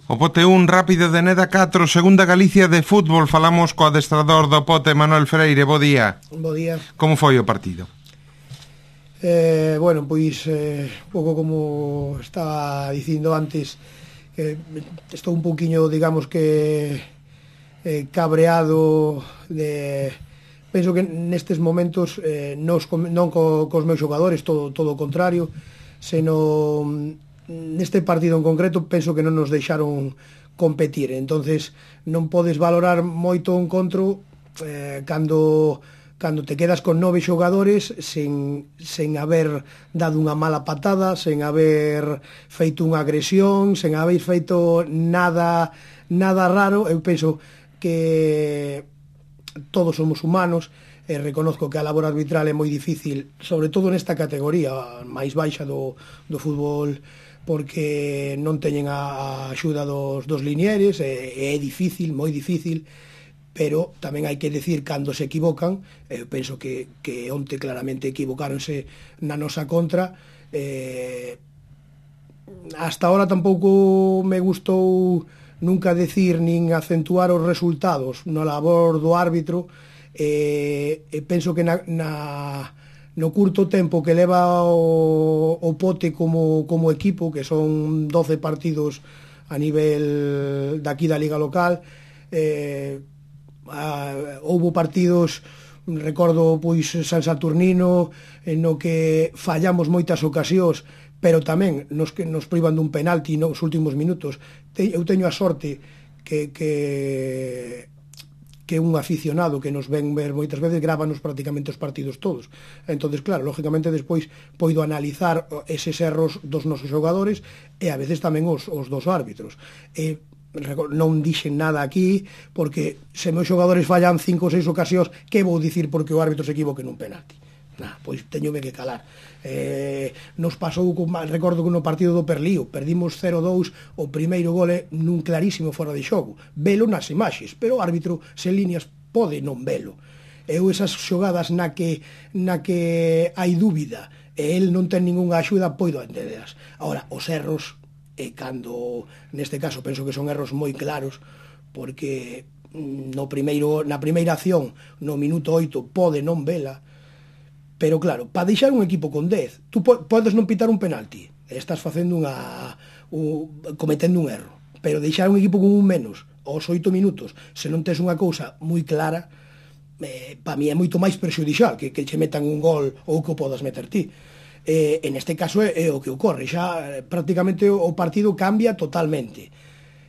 O Pote 1, Rápido de Neda 4, Segunda Galicia de fútbol. Falamos co adestrador do Pote, Manuel Freire. Bo día. Bo día. Como foi o partido? Bueno, pois pouco como estaba dicindo antes, estou un pouquiño, digamos que cabreado penso que nestes momentos non cos meus xogadores, todo o contrario, senón neste partido en concreto penso que non nos deixaron competir. Entonces non podes valorar moito o encontro cando te quedas con 9 xogadores sen haber dado unha mala patada, sen haber feito unha agresión, sen haber feito nada raro. Eu penso que todos somos humanos e reconozco que a labor arbitral é moi difícil, sobre todo nesta categoría máis baixa do fútbol, porque non teñen a axuda dos linieres, é difícil, moi difícil, pero tamén hai que decir cando se equivocan. Eu penso que onte claramente equivocáronse na nosa contra. Hasta ahora tampouco me gustou nunca decir nin acentuar os resultados na labor do árbitro. Penso que no curto tempo que leva o Pote como equipo, que son 12 partidos a nivel daqui da Liga Local, houbo partidos, recordo pois San Saturnino, no que fallamos moitas ocasións, pero tamén nos privan dun penalti nos últimos minutos. Eu teño a sorte que un aficionado que nos ven ver moitas veces grábanos prácticamente os partidos todos. Entonces, claro, lógicamente despois poido analizar eses erros dos nosos xogadores e a veces tamén os dos árbitros. Non dixen nada aquí, porque se meus xogadores fallan 5 ou 6 ocasións, que vou dicir porque o árbitro se equivoque nun penalti? Pois teñome que calar. Nos pasou, recordo que no partido do Perlío perdimos 0-2, o primeiro gole nun clarísimo fora de xogo, velo nas imaxes, pero o árbitro sen líneas pode non velo. Eu esas xogadas na que hai dúbida e el non ten ningunha axuda, poido entenderas. Agora, os erros, cando neste caso penso que son erros moi claros, porque na primeira acción no minuto 8 pode non vela. Pero claro, para deixar un equipo con 10, tú podes non pitar un penalti, estás facendo cometendo un erro, pero deixar un equipo con un menos aos 8 minutos, se non tes unha cousa moi clara, para mí é moito máis perxudicial que che metan un gol ou que o podas meter ti. En este caso é o que ocorre, xa prácticamente o partido cambia totalmente.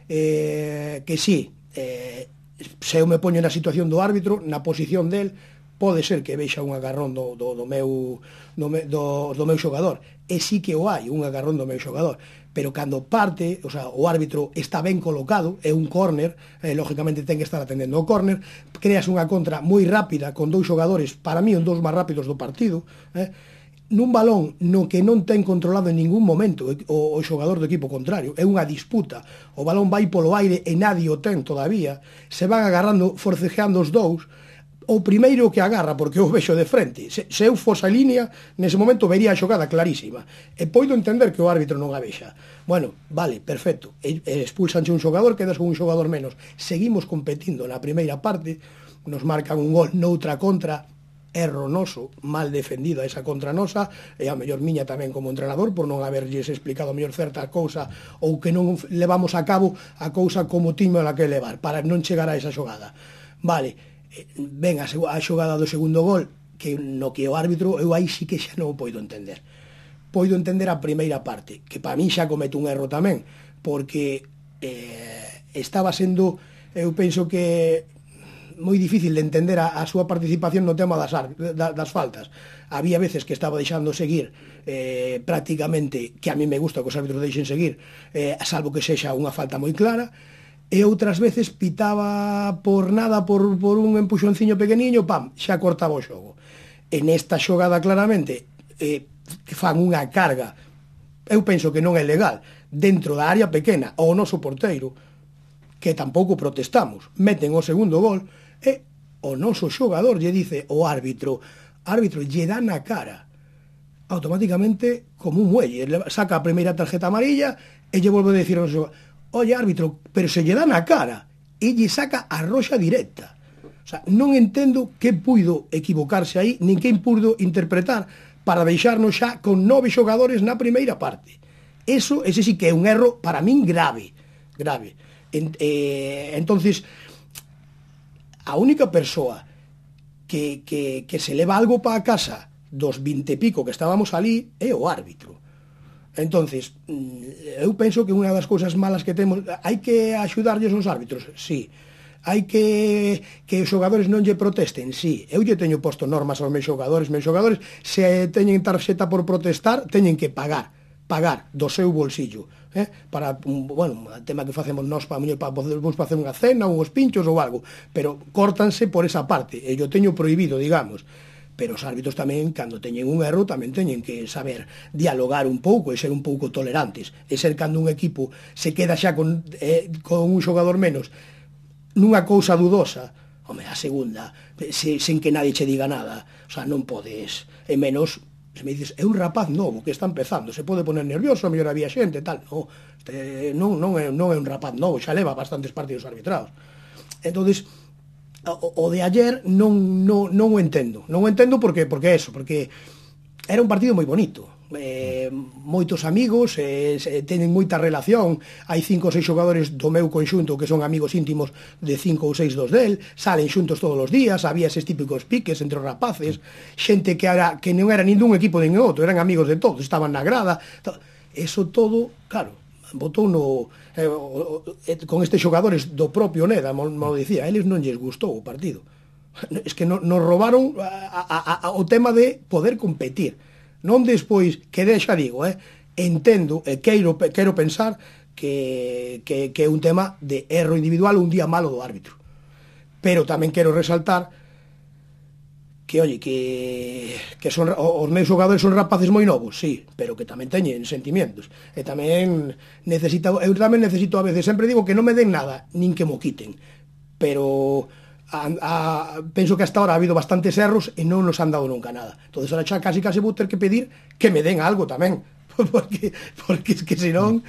Que sí, se eu me poño na situación do árbitro, na posición del, pode ser que vexa un agarrón do meu xogador, e sí que o hai, un agarrón do meu xogador, pero cando parte, o sea, o árbitro está ben colocado, é un córner, lógicamente ten que estar atendendo ao córner, creas unha contra moi rápida con 2 xogadores, para mí os 2 máis rápidos do partido, nun balón no que non ten controlado en ningún momento o xogador do equipo contrario, é unha disputa, o balón vai polo aire e nadie o ten todavía, se van agarrando, forcejeando os dous. O primeiro que agarra, porque eu vexo de frente, se eu fose a línea, nese momento vería a xogada clarísima, e poido entender que o árbitro non a vexa. Bueno, vale, perfecto, expulsanche un xogador, quedas con un xogador menos, seguimos competindo na primeira parte, nos marcan un gol noutra contra, erro noso, mal defendida esa contra nosa, e a mellor miña tamén como entrenador, por non haberlles explicado a mellor certa cousa, ou que non levamos a cabo a cousa como tiño a que levar, para non chegar a esa xogada. Vale, ven a xogada do segundo gol, que no que o árbitro, eu aí sí que xa non o poido entender. Poido entender a primeira parte, que para min xa comete un erro tamén, porque estaba sendo, eu penso que moi difícil de entender a súa participación no tema das faltas. Había veces que estaba deixando seguir prácticamente, que a mí me gusta que os árbitros deixen seguir, salvo que sexa unha falta moi clara, e outras veces pitaba por nada, por un empuxonciño pequeniño, pam, xa cortaba o xogo. En esta xogada claramente fan unha carga, eu penso que non é legal, dentro da área pequena, ao noso porteiro, que tampouco protestamos, meten o segundo gol, e o noso xogador lle dice o árbitro lle dá na cara, automáticamente como un muelle, saca a primeira tarjeta amarilla e lle volve a decir ao xogador, oye, árbitro, pero se lle dá na cara e lle saca a roxa directa. O sea, non entendo que puido equivocarse aí, nin que puido interpretar para deixarnos xa con 9 xogadores na primeira parte. Ese sí que é un erro para min grave. Entonces, a única persoa que se leva algo para a casa dos 20 e pico que estábamos ali é o árbitro. Entonces, eu penso que unha das cousas malas que temos, hai que axudarlles aos árbitros, sí. Hai que os xogadores non lle protesten, sí. Eu lle teño posto normas aos meus xogadores, se teñen tarxeta por protestar, teñen que pagar do seu bolsillo, para, bueno, o tema que facemos nós para vos facer unha cena, uns pinchos ou algo, pero córtanse por esa parte, e yo teño prohibido, digamos. Pero os árbitros tamén, cando teñen un erro, tamén teñen que saber dialogar un pouco e ser un pouco tolerantes, e ser cando un equipo se queda xa con un xogador menos nunha cousa dudosa, home, a segunda, sen que nadie che diga nada, o sea, non podes, e menos, se me dices, é un rapaz novo que está empezando, se pode poner nervioso, a mellor había xente, tal, non é un rapaz novo, xa leva bastantes partidos arbitrados. Entonces, o de ayer non o entendo porque era un partido moi bonito, moitos amigos, teñen moita relación, hai 5 ou 6 xogadores do meu conxunto que son amigos íntimos de 5 ou 6 dos del, salen xuntos todos os días, había eses típicos piques entre os rapaces, xente que non era nin dun equipo nin outro, eran amigos de todos, estaban na grada, eso todo, claro, botou con estes xogadores do propio Neda, mo dicía, a eles non lles gustou o partido, es que nos roubaron o tema de poder competir, non despois, que xa digo, entendo e quero pensar que é un tema de erro individual, un día malo do árbitro, pero tamén quero resaltar que, oye, que son, os meus xogadores son rapaces moi novos, sí, pero que tamén teñen sentimientos, e tamén eu tamén necesito a veces, sempre digo que non me den nada, nin que mo quiten, pero penso que hasta ahora ha habido bastantes erros e non nos han dado nunca nada, entonces ahora xa casi vou ter que pedir que me den algo tamén, porque es que senón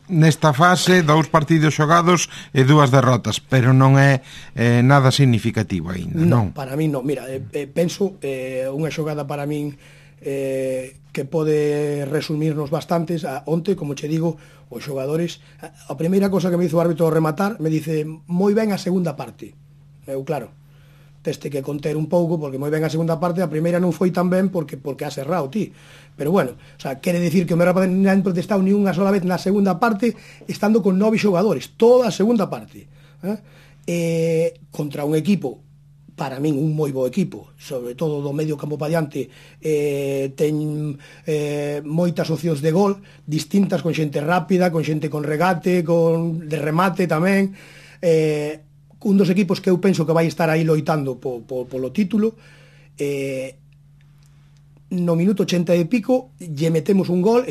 nesta fase 2 partidos xogados e 2 derrotas, pero non é nada significativo aínda, non? Para mí non, mira, penso unha xogada para min que pode resumirnos bastantes. Onte, como che digo, os xogadores, a primeira cosa que me hizo o árbitro ao rematar, me dice moi ben a segunda parte. Eu, claro, teste que conter un pouco, porque moi ben a segunda parte, a primeira non foi tan ben porque has errado ti. Pero bueno, o sea, quere decir que o meu rapaz non han protestado ni unha sola vez na segunda parte, estando con 9 xogadores, toda a segunda parte. Contra un equipo, para min un moi bo equipo, sobre todo do medio campo pa diante, ten moitas opcións de gol distintas, con xente rápida, con xente con regate, con de remate tamén, un dos equipos que eu penso que vai estar aí loitando polo título. No minuto 80 e pico lle metemos un gol,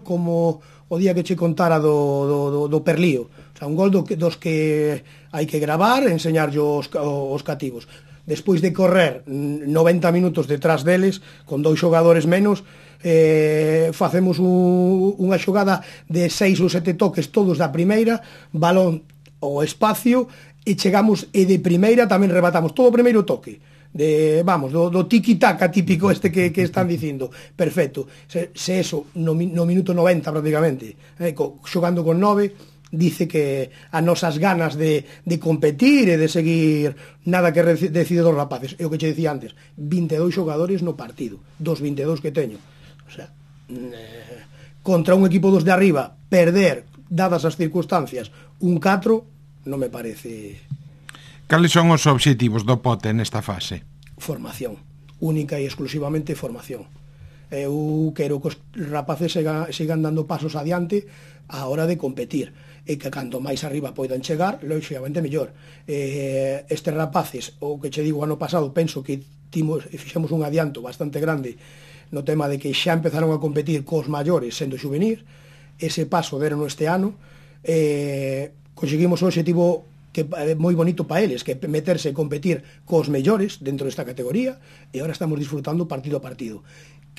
como o día que che contara do Perlío, o sea, un gol dos que hai que gravar e enseñarlle os cativos. Despois de correr 90 minutos detrás deles, con 2 xogadores menos, facemos unha xogada de 6 ou 7 toques todos da primeira, balón ao espacio, e chegamos, e de primeira tamén rebatamos todo o primeiro toque, do tiki-taka típico que están dicindo, perfecto. Se eso no minuto 90 prácticamente, xogando con 9, dice que as nosas ganas de competir e de seguir, nada que decide dos rapaces. É o que che dicía antes, 22 xogadores no partido, dos 22 que teño, o sea, contra un equipo dos de arriba, perder, dadas as circunstancias, un 4, non me parece. Cales son os obxectivos do Pote nesta fase? Formación, única e exclusivamente formación. Eu quero que os rapaces sigan dando pasos adiante á hora de competir, e que canto máis arriba poidan chegar, lógicamente mellor. Estes rapaces, o que che digo, ano pasado penso que fixemos un adianto bastante grande no tema de que xa empezaron a competir cos maiores sendo xuvenil. Ese paso deron este ano, conseguimos o objetivo que é moi bonito para eles, que é meterse e competir cos mellores dentro desta categoría, e agora estamos disfrutando partido a partido.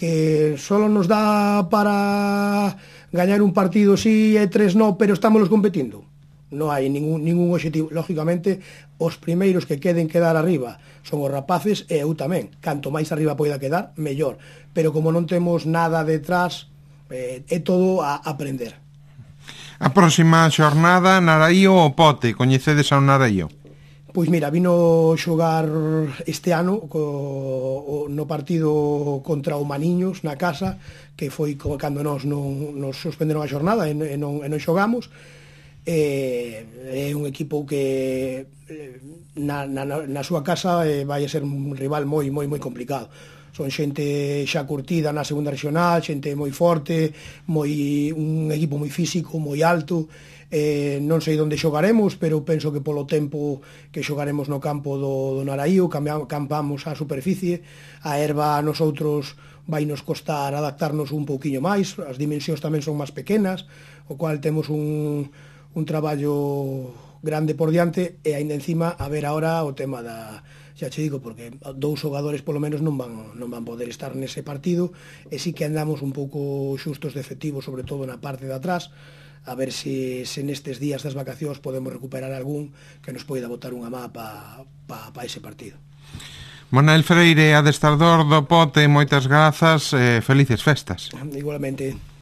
que solo nos dá para gañar un partido sí e 3 no, pero estamos competindo. Non hai ningún objetivo. Lógicamente, os primeiros que quedar arriba son os rapaces e eu tamén. Canto máis arriba poida quedar, mellor. Pero como non temos nada detrás, é todo a aprender. A próxima xornada, Naraío ou Pote? Coñecedes ao Naraío? Pois mira, vino xogar este ano no partido contra o Maniños na casa, que foi cando nos suspenderon a xornada e non xogamos. É un equipo que na súa casa vai a ser un rival moi complicado. Son xente xa curtida na segunda regional, xente moi forte, un equipo moi físico, moi alto. Non sei onde xogaremos, pero penso que polo tempo que xogaremos no campo do Naraío, campamos a superficie, a herba a nosotros vai nos costar adaptarnos un pouquiño máis, as dimensións tamén son máis pequenas, o cual temos un traballo grande por diante, e aínda encima a ver ahora o tema xa che digo, porque 2 xogadores polo menos non van poder estar nese partido, e sí que andamos un pouco xustos de efectivo, sobre todo na parte de atrás, a ver se nestes días das vacacións podemos recuperar algún que nos poida botar unha má pa ese partido. Manuel Freire, adestrador do Pote, moitas grazas e felices festas. Igualmente.